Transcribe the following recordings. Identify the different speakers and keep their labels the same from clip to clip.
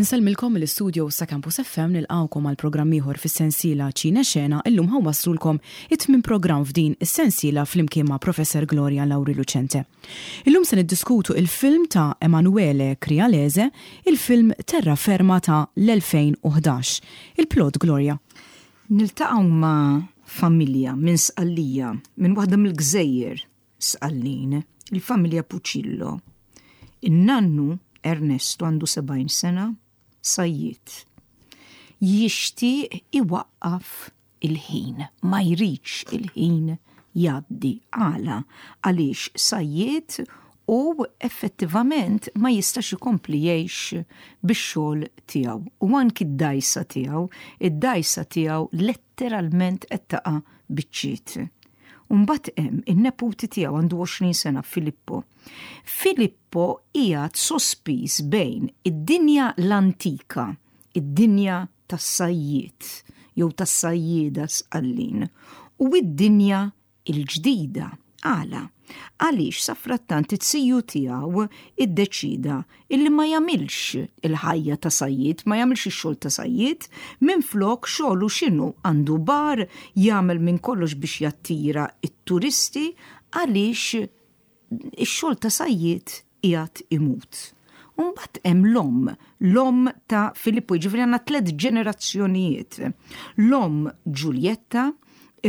Speaker 1: Insellmilkom mill-istudio sa Campus FM nilqgħukom għal programm ieħor fis-sensiela Ċine Xena illum ħa nwasslulkom it-tmien programm f'din is-sensiela flimkien ma' Professor Gloria Lauri Lucente. Illum se niddiskutu il-film ta' Emanuele Crialese, il-film Terra Ferma ta' l-2011. Il-plot Gloria.
Speaker 2: Niltaqgħu ma' familja minn Sqallija, minn waħda mill-gżejjer Sqallin, il-familja Pucillo. In-nannu Ernesto għandu 70 sena, sajjied. Jixtieq iwaqqaf il-ħin, ma jridx il-ħin jgħaddi. Għala? Għaliex sajjied u effettivament ma jistax ikompli jgħix bix-xogħol tiegħu. U anki d-dgħajsa tiegħu, id-dgħajsa tiegħu letteralment qed taqa' biċċiet. U mbagħad hemm in-neputi tiegħu għandu 20 sena Filippo. Filippo qiegħed sospiż bejn id-dinja l-antika, id-dinja tas-sajjied jew tas-sajjieda Sqallin u id-dinja il-ġdida. Għala? Għaliex safrattant it-siju tiegħu iddeċida illi ma jagħmilx il-ħajja ta' sajjied, ma jagħmilx ix-xogħol ta' sajjied, minflok xogħlu x'inhu għandu bar jagħmel minn kollox biex jattira t-turisti għaliex ix-xogħol ta' sajjied qiegħed imut. U mbagħad hemm l-omm, l-omm ta' Filippo, jiġifieri għandna tlett ġenerazzjonijiet. L-omm Ġuljetta,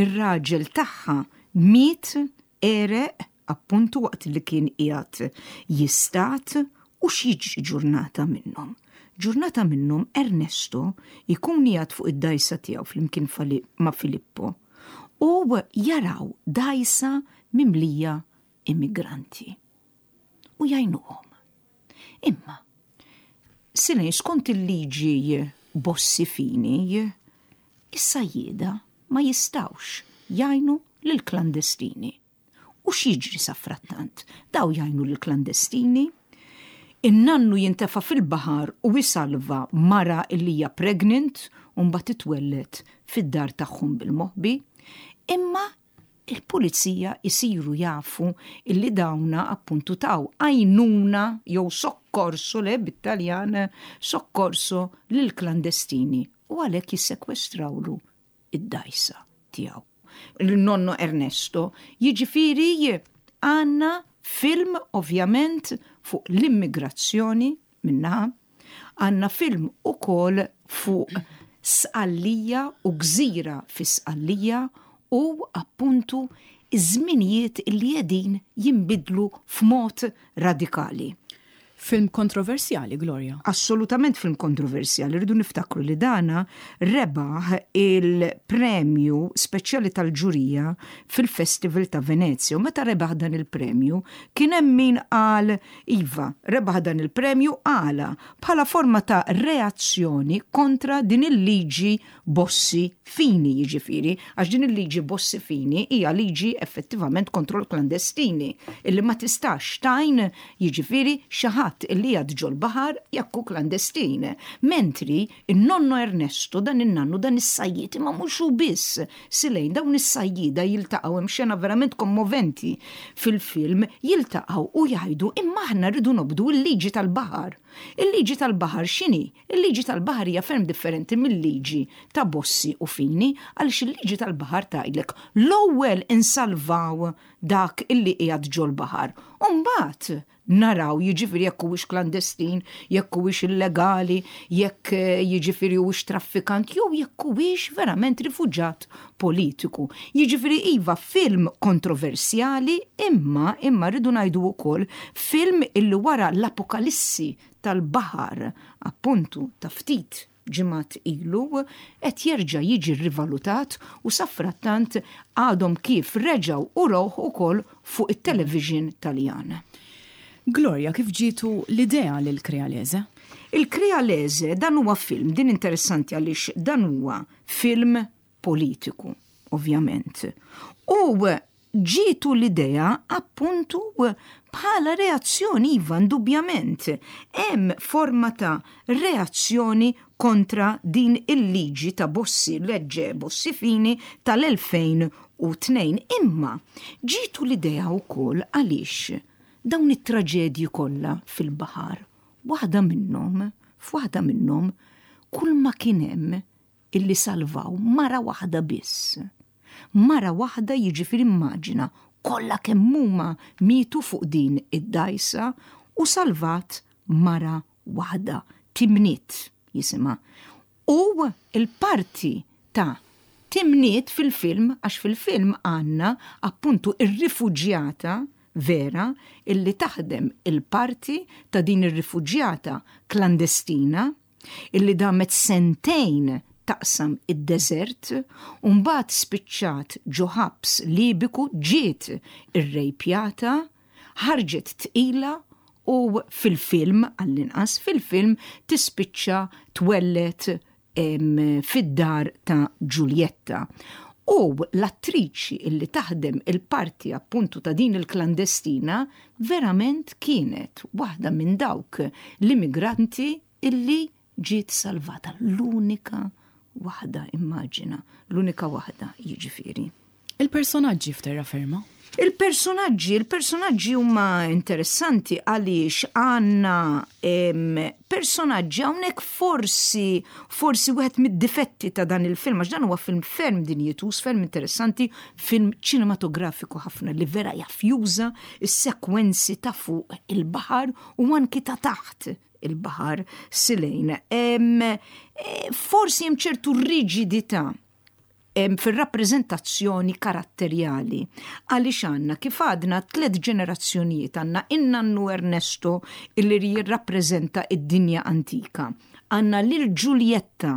Speaker 2: ir-raġel tagħha miet għereq appuntu waqt li kien qiegħed jistad u x'jiġri ġurnata minnhom. Ġurnata minnhom Ernesto jkun qiegħed fuq id-dgħajsa tiegħu flimkien ma' Filippo u jaraw dgħajsa mimlija immigranti u jgħinuhom. Imma, Silej, skont il-liġi Bossi Fini, is-sajjieda ma jistgħux jgħinu lill-klandestini. U x'jiġri safrattant? Daw jgħinu lill-klandestini, in-nannu jintefa' fil-baħar u jsalva mara li hija pregnant u mbagħad titwelled fid-dar tagħhom bil-moħbi, imma il-pulizija jsiru jafu illi dawna appuntu taw għajnuna jew soccorso le bit-Taljan soccorso lil klandestini u għalhekk jissekwestrawlu id-dgħajsa tiegħu. Il-nonno Ernesto, jiġifieri għandna film ovvjament fuq l-immigrazzjoni minnaħa, Għandna film ukoll fuq Sqallija u gżira fi Sqallija u appuntu iż-żminijiet li qegħdin jinbidlu f'mod radikali.
Speaker 1: Film kontroversjali, Gloria.
Speaker 2: Assolutament film kontroversjali. Rridu niftakru li dana rebaħ il-premju speċjali tal-ġurija fil-Festival ta' Venezia. U meta rebaħ dan il-premju, kien hemm min qal Iva, rebaħ dan il-premju għala bħala forma ta' reazzjoni kontra din il-liġi Bossi Fini, jiġifieri, għax din il-liġi Bossi Fini hija liġi effettivament kontro l-klandestini, illi ma tistax tgħin, jiġifieri, xi ħadd illi qiegħed ġol-baħar jekk hu klandestin. Mentri, in-nonno Ernesto, dan in-nannu, dan is-sajjied, imma mhux hu biss, Silejn, dawn is-sajjieda jiltaqgħu, hemm xena verament kommoventi fil-film, jiltaqgħu u jgħidu imma aħna rridu nobdu l-liġi tal-baħar. Il-liġi tal-baħar x'inhi? Il-liġi tal-baħar hija ferm differenti mil-liġi ta' Bossi u Fini għaliex il-liġi tal-baħar tgħidlek l-ewwel insalvaw dak illi qiegħed ġol-baħar u mbagħad naraw jiġifieri jekk huwiex klandestin, jekk huwiex illegali, jekk eh, jiġifieri huwiex traffikant jew jekk huwiex verament rifuġat politiku. Jiġifieri iva film kontroversjali imma imma rridu ngħidu wkoll film illi wara l-apokalissi tal-baħar appuntu ta' ftit ġimgħat ilu, qed jerġa' jiġi rrivalutat u safrattant għadhom kif reġgħu urawh ukoll fuq it-television Taljan.
Speaker 1: Gloria, kif ġietu l-idea lil Crealese?
Speaker 2: Il-Crealese dan huwa film, din interessanti għaliex dan huwa film politiku, ovvjament. U ġietu l-idea appuntu bħala reazzjoni, iva, indubjament. Hemm forma ta' reazzjoni kontra din il-liġi ta' Bossi, legge Bossi Fini tal-2002. Imma ġietu l-idea wkoll għaliex dawn it-traġedji kollha fil-baħar, waħda minnhom. F'waħda minnhom kull ma kien hemm illi salvaw mara waħda biss. Mara waħda jiġifieri immaġina kollha kemm huma mietu fuq din id-dgħajsa u salvat mara waħda, Timnit jisimha. U l-parti ta' Timnit fil-film, għax fil-film għandna appuntu r-rifuġjata vera illi taħdem il-parti ta' din ir-rifuġjata klandestina illi damet sentejn taqsam id-deżert u mbagħad spiċċat ġo ħabs Libiku ġiet irrejpjata, ħarġet tqila u fil-film, għall-inqas fil-film, tispiċċa twelled fid-dar ta' Ġuljetta. U l-attriċi illi taħdem il-parti appuntu ta' din il-klandestina verament kienet waħda minn dawk l-immigranti illi ġiet salvata. L-unika waħda, immaġina, l-unika waħda jiġifieri.
Speaker 1: Il-personaġġi f'terraferma?
Speaker 2: Il-personaġġi, il-personaġġi huma interessanti għaliex għandna personaġġi hawnhekk forsi forsi wieħed mid-difetti ta' dan il-film għax dan huwa film ferm dinjitus, ferm interessanti, film ċinematografiku ħafna li vera jaf juża s-sekwenzi ta' fuq il-baħar u anki ta' taħt il-baħar silejn. Eh, forsi hemm ċertu riġidità fir-rappreżentazzjoni karatterjali. Għaliex għandna kif għadna tlet ġenerazzjonijiet għandna in-nannu Ernesto illi jirrappreżenta id-dinja antika. Għandna lil Giulietta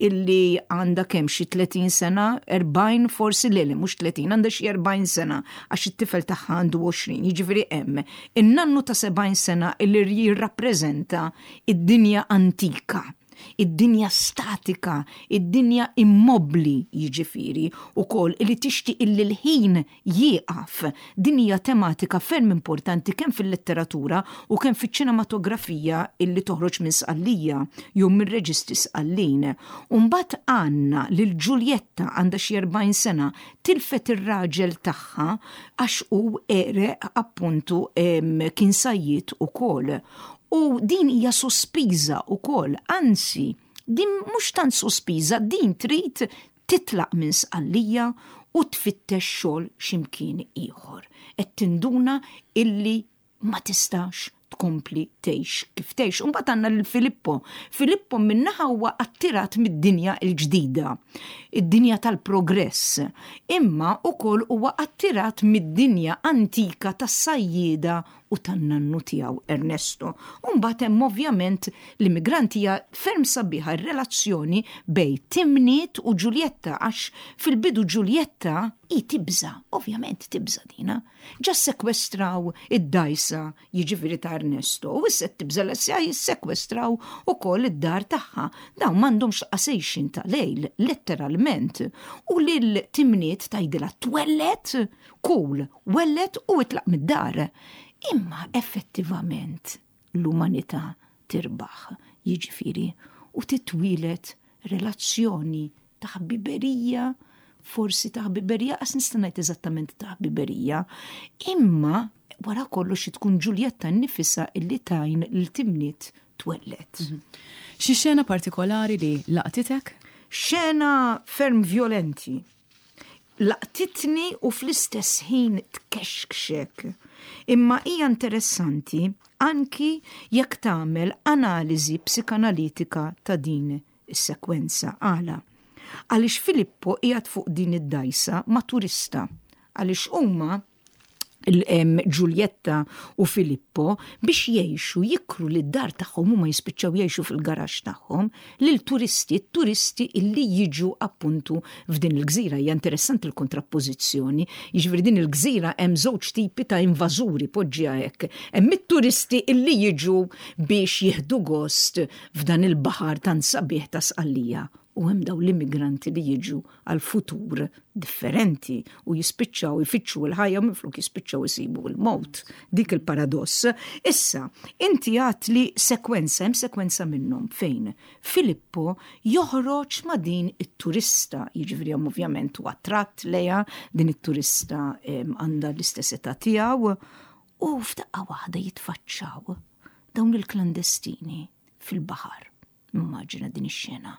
Speaker 2: illi għandha kemm xi 30 sena, 40 forsi le le mhux 30, għandha xi 40 sena għax it-tifel tagħha għandu 20, jiġifieri hemm in-nannu ta' 70 sena illi jirrappreżenta id-dinja antika id-dinja statika, id-dinja immobbli jiġifieri wkoll li tixtieq illi l-ħin jieqaf. Din hija tematika ferm importanti kemm fil-letteratura u kemm fiċ-ċinematografija illi toħroġ minn Sqallija jew minn reġisti Sqallin. U mbagħad għandna lil Ġuljetta għandha xi 40 sena tilfet ir-raġel tagħha għax hu għereq appuntu kien sajjied ukoll. U din hija sospiża wkoll, anzi, din mhux tant sospiża, din trid titlaq minn Sqallija u tfittex xogħol xi mkien ieħor. Qed tinduna illi ma tistax tkompli tgħix kif tgħix. U mbagħad għandna lil Filippo. Filippo min-naħa huwa attirat mid-dinja l-ġdida, id-dinja tal-progress, imma wkoll huwa attirat mid-dinja antika tas-sajjieda u tan-nannu tiegħu Ernesto. U mbagħad hemm ovvjament l-immigranti hija ferm sabiħa r-relazzjoni bejn Timnit u Ġuljetta għax fil-bidu Ġuljetta hi tibża', ovvjament tibża' dina. Ġa ssekwestraw id-dgħajsa jiġifieri ta' Ernesto u issa qed tibża' li se jissekwestraw ukoll id-dar tagħha. Dawn m'għandhomx laqas għixien ta' lejl, letteralment. U lil Timnit tgħidilha twelled Kul, welled u itlaq mid-dar. Imma effettivament l-umanità tirbaħ, jiġifieri, u titwieled relazzjoni ta' ħbiberija, forsi ta' ħbiberija, qas nista' ngħid eżattament ta' ħbiberija, imma wara kollox tkun Ġuljetta nnifisha illi tgħin lil Timnit twelled. Mhm.
Speaker 1: Xi xena partikolari li laqtitek?
Speaker 2: Xena ferm violenti. Laqtitni u fl-istess ħin tkexkxek. Imma hija interessanti anki jekk tagħmel analiżi psikanalitika ta' din is-sekwenza. Għala? Għaliex Filippo qiegħed fuq din id-dgħajsa ma' turista. Għaliex huma Ġuljetta u Filippo biex jgħixu jikru lid dar tagħhom huma jispiċċaw jgħixu fil-garaxx tagħhom lil turisti, turisti illi jiġu appuntu f'din il-gżira. Hija interessanti l-kontrappożizzjoni. Jiġifieri din il-gżira hemm żewġ tipi ta' invażuri poġġiha hekk. Hemm it-turisti illi jiġu biex jieħdu gost f'dan il-baħar tant sabiħ ta' Sqallija u hemm dawn l-immigranti li jiġu għal futur differenti u jispiċċaw ifittxu l-ħajja minflok jispiċċaw isibu l-mowt. Dik il-paradoss. Issa, inti għat li sekwenza, hemm sekwenza minnhom fejn Filippo joħroġ ma' din it-turista, jiġifieri hemm ovvjament huwa attratt lejha, din it-turista għandha l-istess età tiegħu, u f'daqqa waħda jitfaċċaw dawn il-klandestini. fil-baħar. Immaġina din ix-xena.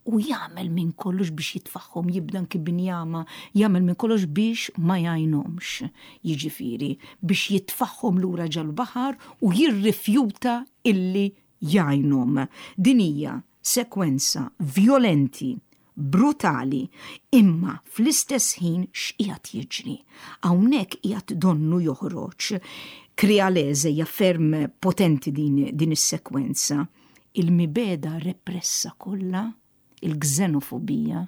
Speaker 2: U jagħmel minn kollox biex jitfaħħom, jibda anki binjama, jagħmel minn kollox biex ma jgħinhomx. Jiġifieri biex jitfaħħom lura ġal-baħar u jirrifjuta illi jgħinhom. Din hija sekwenza vjolenti, brutali, imma fl-istess ħin x'qiegħed jiġri? Hawnhekk qiegħed donnu joħroġ Crialese hija ferm potenti din, din is-sekwenza. Il-mibegħda repressa kollha, il-gżenofobija,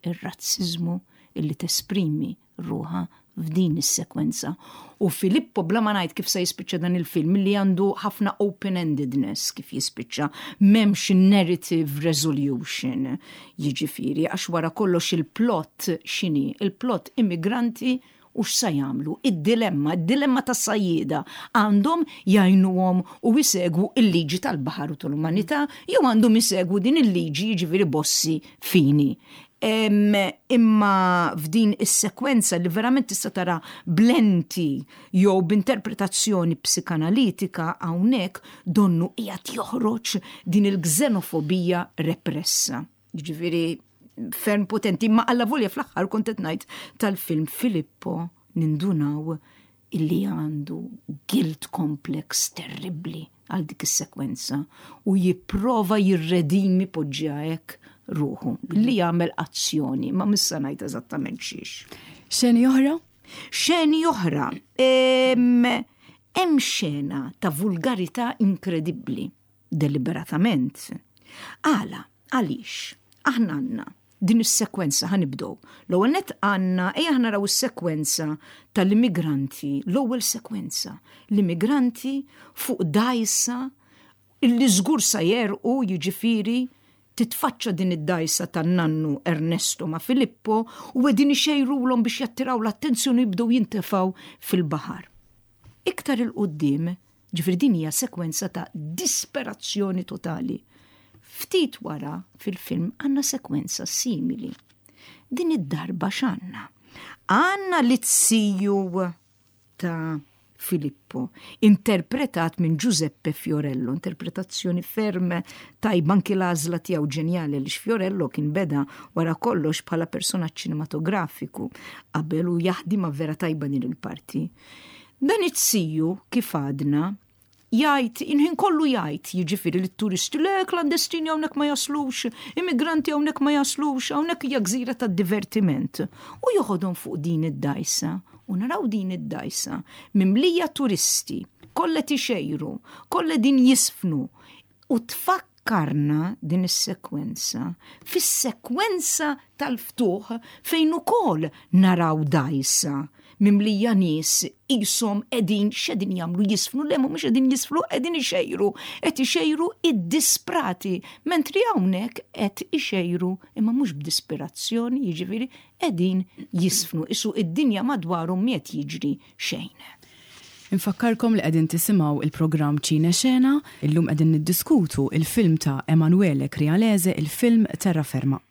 Speaker 2: ir-razziżmu illi tesprimi ruħha f'din is-sekwenza. U Filippo bla ma ngħid kif se jispiċċa dan il-film li għandu ħafna open-endedness kif jispiċċa, m'hemmx narrative resolution. Jiġifieri għax wara kollox il-plot x'inhi? Il-plot immigranti u x'sa jagħmlu? Id-dilemma, id-dilemma tas-sajjieda għandhom jgħinuhom u jsegwu il-liġi tal-baħar u tal-umanità jew għandhom isegwu din il-liġi jiġifieri Bossi Fini. Imma f'din is-sekwenza li verament tista' tara b'lenti jew b'interpretazzjoni psikanalitika hawnhekk donnu qiegħed joħroġ din il-gżenofobija repressa. Jiġifieri ferm potenti, imma allavolja fl-aħħar kont qed ngħid tal-film Filippo nindunaw illi għandu guilt complex terribbli għal dik is-sekwenza u jipprova jirredimi poġġiha hekk ruħu li jagħmel azzjoni ma missa ngħid eżattament xiex.
Speaker 1: Xeni oħra?
Speaker 2: Xeni oħra. Hemm xena ta' vulgarità inkredibbli deliberatament. Għala, għaliex, aħna għandna din is-sekwenza ħa nibdew. L-ewwel nett għandna ejja aħna naraw is-sekwenza tal-immigranti, l-ewwel sekwenza, l-immigranti fuq dgħajsa illi żgur sa jerqu jiġifieri titfaċċa din id-dgħajsa tan-nannu Ernesto ma' Filippo u qegħdin ixejrulhom biex jattiraw l-attenzjoni u jibdew jintefgħu fil-baħar. Iktar 'il quddiem Ġifieri din hija sekwenza ta' disperazzjoni totali. Ftit wara fil-film għandna sekwenza simili. Din id-darba x'għandna? Għandna l-izziju ta' Filippo, interpretat minn Giuseppe Fiorello, interpretazzjoni ferm tajba anki l-għażla tiegħu ġenjali għaliex Fiorello kien beda wara kollox bħala personaġġ ċinematografiku qabel u jaħdimha vera tajba din il-parti. Dan it-siju, kif għadna, jgħid, il-ħin kollu jgħid, jiġifieri lit-turisti, le klandestini hawnhekk ma jaslux, immigranti hawnhekk ma jaslux, hawnhekk hija gżira ta' divertiment. U joħodhom fuq din id-dgħajsa, u naraw din id-dgħajsa mimlija turisti, kollha tixejru, kollha din jisfnu, u tfakkarna din is-sekwenza fis-sekwenza tal-ftuħ fejn ukoll naraw dgħajsa mimlija nies qishom qegħdin x'qegħdin jagħmlu jisfnu le mhumiex qegħdin jisfnu qegħdin ixejru qed ixejru id-disprati mentri hawnhekk qed ixejru imma mhux b'disperazzjoni jiġifieri qegħdin jisfnu isu id-dinja madwarhom m'qiegħed jiġri xejn.
Speaker 1: Infakkarkom li qegħdin tisimgħu il-programm Ċine Xena, illum qegħdin niddiskutu il-film ta' Emanuele Crialese, il-film Terraferma.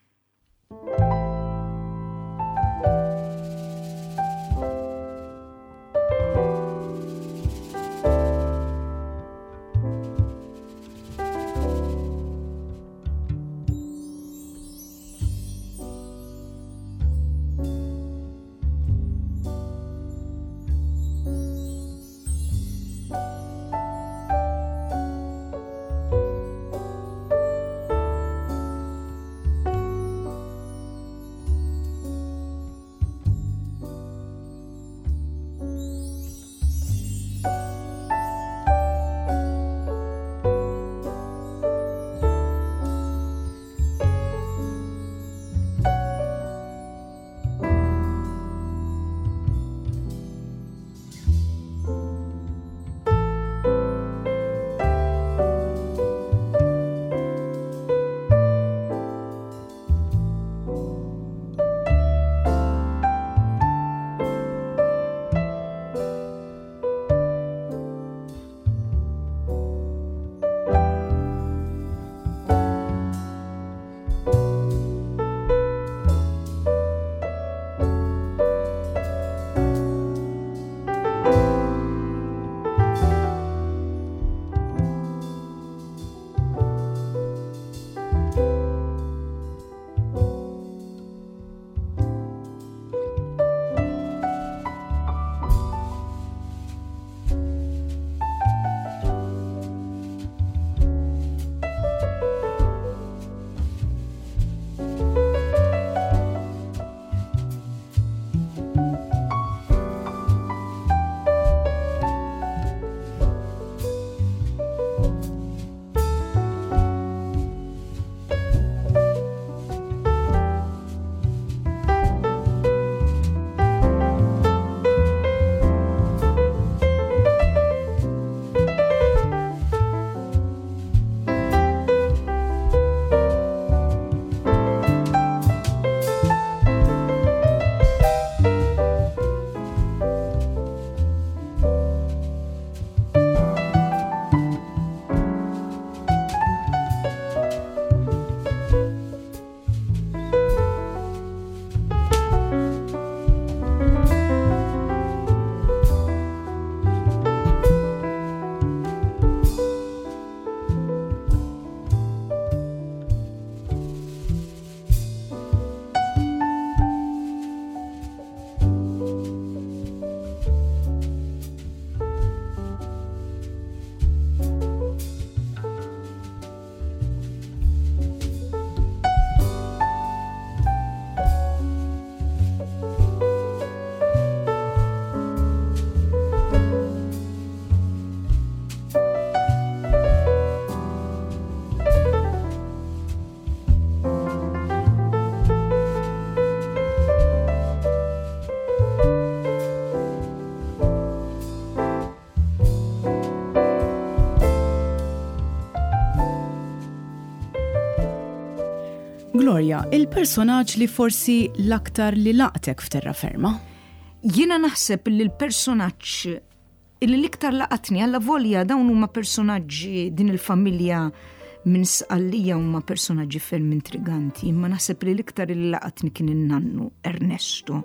Speaker 1: Gloria, il-personaġġ li forsi l-aktar li laqtek f'Terraferma?
Speaker 2: Jiena naħseb li l-personaġġ illi l-iktar laqatni alla volja dawn huma personaġġi din il-familja minn Sqallija huma personaġġi ferm intriganti, imma naħseb li l-iktar li laqatni kien in-nannu Ernesto.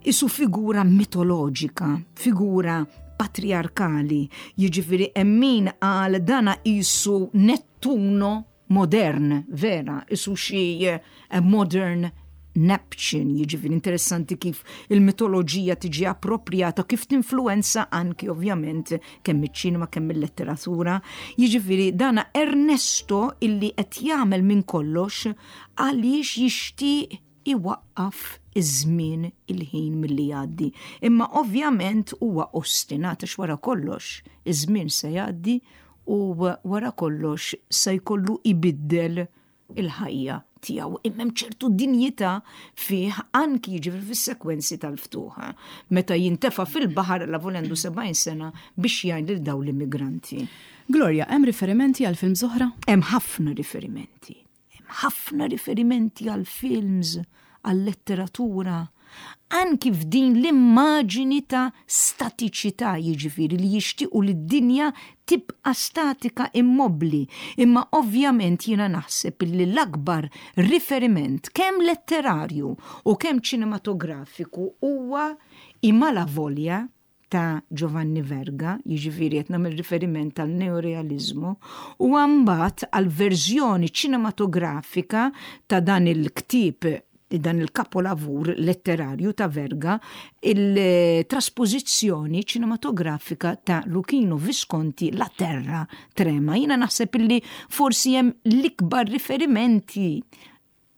Speaker 2: Isu figura mitoloġika, figura patriarkali, jiġifieri hemm min qal dana qisu Nettuno modern, vera, isu xi eh, modern Neptune, jiġifieri interessanti kif il-mitoloġija tiġi appropriata, kif tinfluenza anki ovvjament kemm iċ-ċinema kemm il-letteratura. Jiġifieri dana Ernesto illi qed jagħmel minn kollox għaliex jixtieq iwaqqaf iż-żmien il-ħin milli jgħaddi. Imma ovvjament huwa ostinat għax wara kollox iż-żmien se jgħaddi u wara kollox se jkollu ibiddel il-ħajja tiegħu. Imma hemm ċertu dinjità fih anki jiġifieri fis-sekwenzi tal-ftuħ. Meta jintefa' fil-baħar la volendu 70 sena biex jgħin lil dawn l-immigranti.
Speaker 1: Gloria, hemm riferimenti għal films oħra?
Speaker 2: Hemm ħafna riferimenti. Hemm ħafna riferimenti għal films, għal letteratura, anki f'din l-immaġini ta' statiċità, jiġifieri li jixtiequ li d-dinja tibqa' statika immobbli. Imma ovvjament jiena naħseb li l-akbar riferiment kemm letterarju u kemm ċinematografiku huwa I Malavoglia ta' Giovanni Verga, jiġifieri qed nagħmel riferiment għal neorealiżmu, u mbagħad għal verżjoni ċinematografika ta' dan il-ktieb dan il-kapolavur letterarju ta' Verga, il-traspożizzjoni ċinematografika ta' Luchino Visconti La Terra Trema. Jiena naħseb illi forsi hemm l-ikbar riferimenti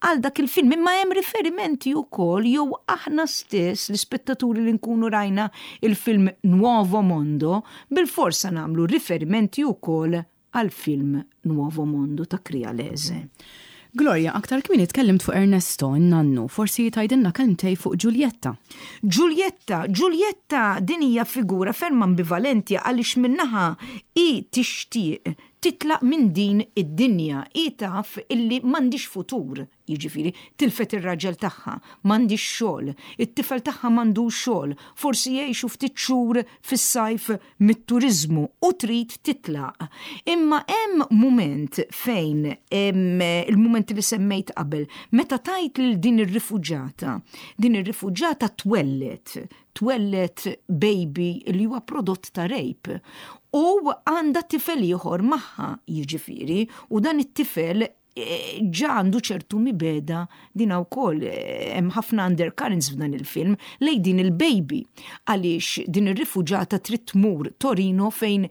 Speaker 2: għal dak il-film, imma hemm riferimenti wkoll jew aħna stess l-ispettaturi li nkunu rajna il-film Nuovo Mondo, bilforsa nagħmlu riferimenti wkoll għall-film Nuovo Mondo ta' Crialese.
Speaker 1: Gloria, aktar kmieni tkellimt fuq Ernesto, in-nannu, forsi tgħidilna kelmtej fuq Giulietta.
Speaker 2: Giulietta, Giulietta din hija figura ferm ambivalenti għaliex minn naħa hi tixtieq titlaq minn din id-dinja. Hi taf illi m'għandhiex futur, jiġifieri, tilfet ir-raġel tagħha, m'għandhiex xogħol, it-tifel tagħha m'għandux xogħol, forsi jgħixu ftit xhur fis-sajf mit-turiżmu u trid titlaq. Imma hemm mument fejn, il-mument li semmejt qabel, meta tgħid lil din ir-rifuġata, din ir-rifuġata twelled, twelled baby li huwa prodott ta' rape u għandha tifel ieħor magħha jiġifieri u dan it-tifel eh, ġa għandu ċertu mibeda din wkoll eh, hemm ħafna undercurrents f'dan il-film lej din il-baby għaliex din ir-rifuġata trid tmur Torino fejn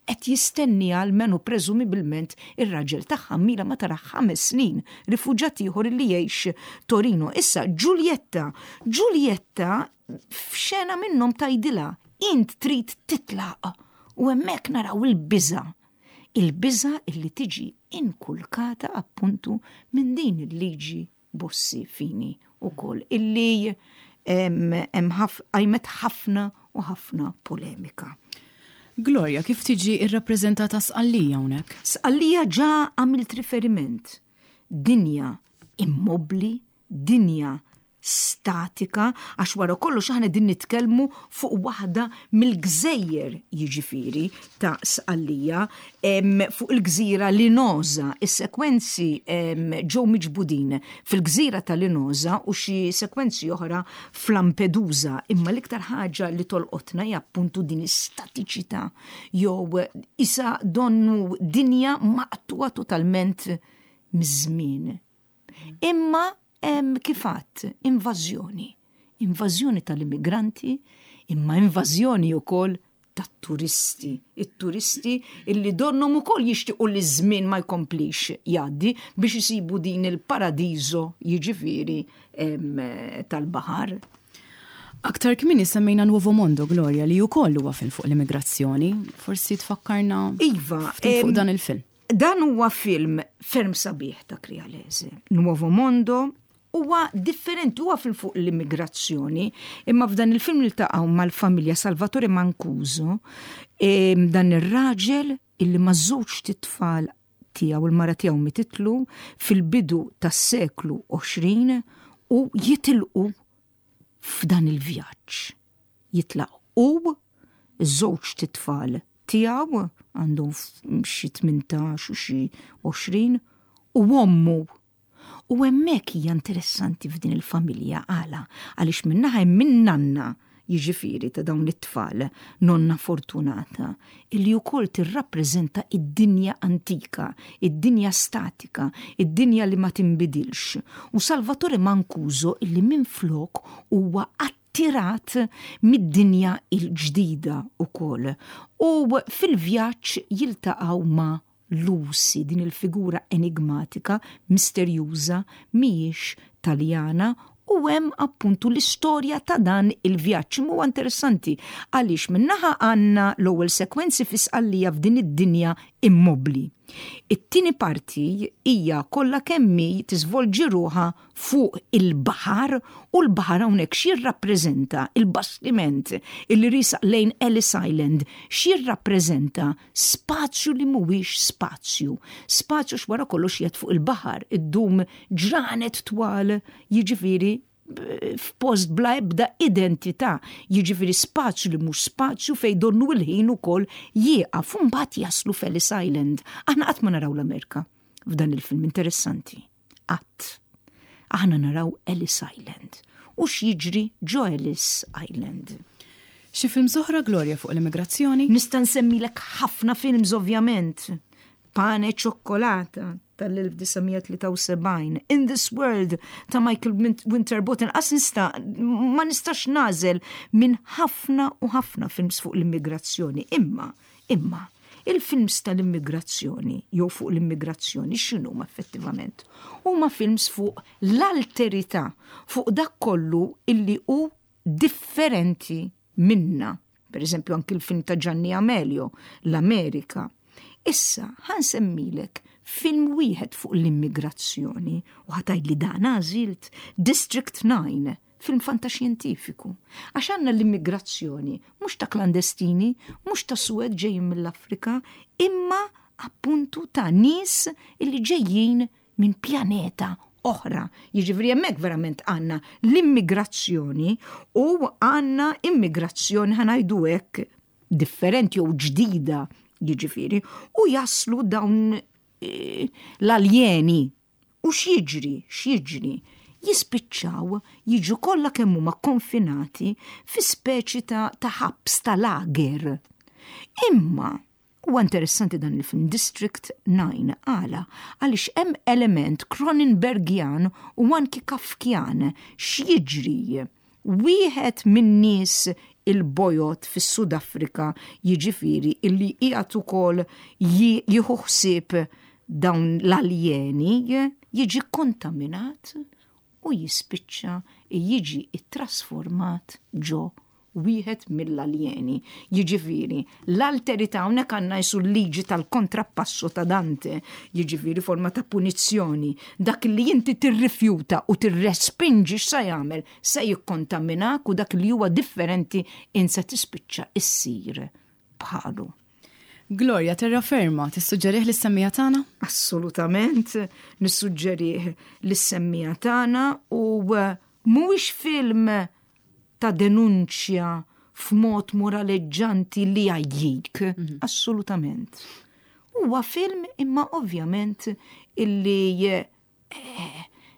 Speaker 2: qed jistenniha almenu preżumibilment ir-raġel tagħha mila ma tara ħames snin, rifuġat ieħor li jgħix Torino. Issa Giulietta, Giulietta f'xena minnhom tgħidilha int trid titlaq u hemmhekk naraw il-biża' il-biża' illi tiġi inkulkata appuntu minn din il-liġi Bossi Fini wkoll illi hemm qajmet ħafna u ħafna polemika.
Speaker 1: Gloria, kif tiġi rrappreżentata Sqallija hawnhekk?
Speaker 2: Sqallija ġa għamilt riferiment. Dinja immobbli, dinja statika, għax wara kollox aħna din nitkellmu fuq waħda mill-gżejjer jiġifieri ta' Sqallija fuq il-gżira Linosa. Is-sekwenzi ġew miġbudin fil-gżira ta' Linosa u xi sekwenzi oħra f'Lampedusa, imma l-iktar ħaġa li tolqotna hija appuntu din l-istatiċità jew isa donnu dinja maqtugħa totalment miż-żmien. Imma hemm kif għadt invażjoni. Invażjoni tal-immigranti, imma invażjoni wkoll tat-turisti. It-turisti illi donnhom ukoll jixtiequ li ż-żmien ma jkomplix jgħaddi biex isibu din il-paradiso jiġifieri tal-baħar.
Speaker 1: Aktar kmieni semmejna Nuovo Mondo, Gloria, li wkoll huwa film fuq l-immigrazzjoni. Forsi tfakkarna
Speaker 2: iva,
Speaker 1: ftit fuq dan il-film.
Speaker 2: Dan huwa film ferm sabiħ ta' Crialese. Nuovo Mondo huwa differenti, huwa film fuq l-immigrazzjoni, imma f'dan il-film niltaqgħu mal-familja Salvatore Mancuso, dan ir-raġel illi ma' żewġt itfal tiegħu, il-mara tiegħu mititlu fil-bidu tas-seklu 20 u jitilqu f'dan il-vjaġġ. Jitlaq hu, iż-żewġt itfal tiegħu, għandhom xi 18 u xi 20, u ommu. U hemmhekk hija interessanti f'din il-familja għala? Għaliex min-naħa hemm in-nanna, jiġifieri ta' dawn it-tfal, nonna Fortunata, illi wkoll tirrappreżenta id-dinja antika, id-dinja statika, id-dinja li ma tinbidilx. U Salvatore Mancuso illi minflok huwa attirat mid-dinja l-ġdida wkoll. U fil-vjaġġ jiltaqgħu ma' Lucy, din il-figura enigmatika, misterjuża, mhijiex Taljana u hemm appuntu l-istorja ta' dan il-vjaġġ. Imma huwa interessanti għaliex minn naħa għandna l-ewwel sekwenzi fi Sqallija f'din id-dinja immobbli. It-tieni parti hija kollha kemm hi tiżvolġi ruħha fuq il-baħar u l-baħar hawnhekk x'jirrappreżenta il-bastiment illi riesaq lejn Ellis Island x'jirrappreżenta spazju li mhuwiex spazju. Spazju x'wara kollox qiegħed fuq il-baħar, iddum ġranet twal, jiġifieri f'post bla ebda identità, jiġifieri spazju li mhux spazju fejn donnu l-ħin ukoll jieqaf u mbagħad jaslu f'Ellis Island. Aħna qatt ma naraw l-Amerika f'dan il-film interessanti. Qatt. Aħna naraw Ellis Island. U x'jiġri ġo Ellis Island.
Speaker 1: Xi films oħra Gloria fuq l-immigrazzjoni?
Speaker 2: Nista' nsemmilek ħafna films ovvjament. Pane e Cioccolata tal-1973, In This World ta' Michael Winterbottom, qas nista' ma nistax nagħżel minn ħafna u ħafna films fuq l-immigrazzjoni. Imma, imma, il-films tal-immigrazzjoni jew fuq l-immigrazzjoni x'inhuma effettivament? Huma films fuq l-alterità, fuq dak kollu illi hu differenti minna. Per eżempju anki l-film ta' Gianni Amelio, l-Amerika. Issa, ħa nsemmilek film wieħed fuq l-immigrazzjoni u ħa tgħidli dan għażilt District 9, film fantaxjentifiku. Għax għandna l-immigrazzjoni mhux ta' klandestini, mhux ta' suwed ġejjin mill-Afrika, imma appuntu ta' nies illi ġejjin minn pjaneta oħra. Jiġifieri hemmhekk verament għandna l-immigrazzjoni u għandna immigrazzjoni ħa ngħidu hekk differenti jew ġdida jiġifieri u jaslu dawn eh, l-aljeni u x'jiġri, x'jiġri? Jispiċċaw jiġu kollha kemm huma konfinati fi speċi ta' ta' ħabs ta' lager. Imma Huwa interessanti dan il-film District 9 għala? Għaliex hemm element Cronenbergjan u anki Kafkjan. X'jiġri? Wieħed min-nies il-bojod fis-Sud Afrika jiġifieri illi qiegħed ukoll jieħu ħsieb dawn l-aljeni jiġi kkontaminat u jispiċċa jiġi ttrasformat ġo wieħed mill-aljeni. Jiġifieri, l-alterità hawnhekk għandna jisu l-liġi tal-kontrappasso ta' Dante, jiġifieri forma ta' punizzjoni. Dak li inti tirrifjuta u tirrespinġi x'sa jagħmel? Se jikkontaminak u dak li huwa differenti int se tispiċċa issir bħalu.
Speaker 1: Gloria, terraferma, tissuġġerih lis-semmiegħa tagħna?
Speaker 2: Assolutament, nissuġġerih lis-semmiegħa tagħna u mhuwiex film ta' denunċja f'mod moraleġġanti li jgħajjik, mhm. assolutament. Huwa film imma ovvjament illi eh,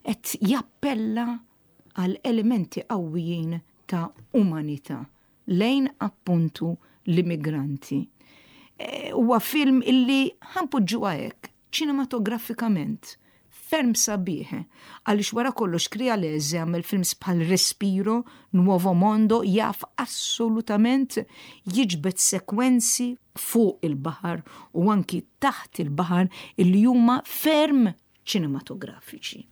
Speaker 2: qed jappella għal elementi qawwijin ta' umanità lejn appuntu l-immigranti. Eh, huwa film illi ħanpoġġuha hekk, ċinematografikament ferm sabiħ, għaliex wara kollox Crialese għamel films bħal Respiro, Nuovo Mondo, jaf assolutament jiġbed sekwenzi fuq il-baħar u anki taħt il-baħar illi huma ferm ċinematografiċi.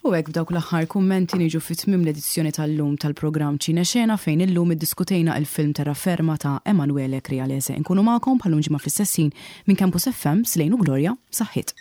Speaker 1: U hekk b'dawk l-aħħar kummenti niġu fi tmiem l-edizzjoni tal-lum tal-programm Ċine Xena fejn illum iddiskutejna il-film Terraferma ta' Emanuele Crialese. Inkunu magħkom bħal-lum ġimgħa fl-istess ħin minn Campus FM, Slejn u Gloria, saħħiet.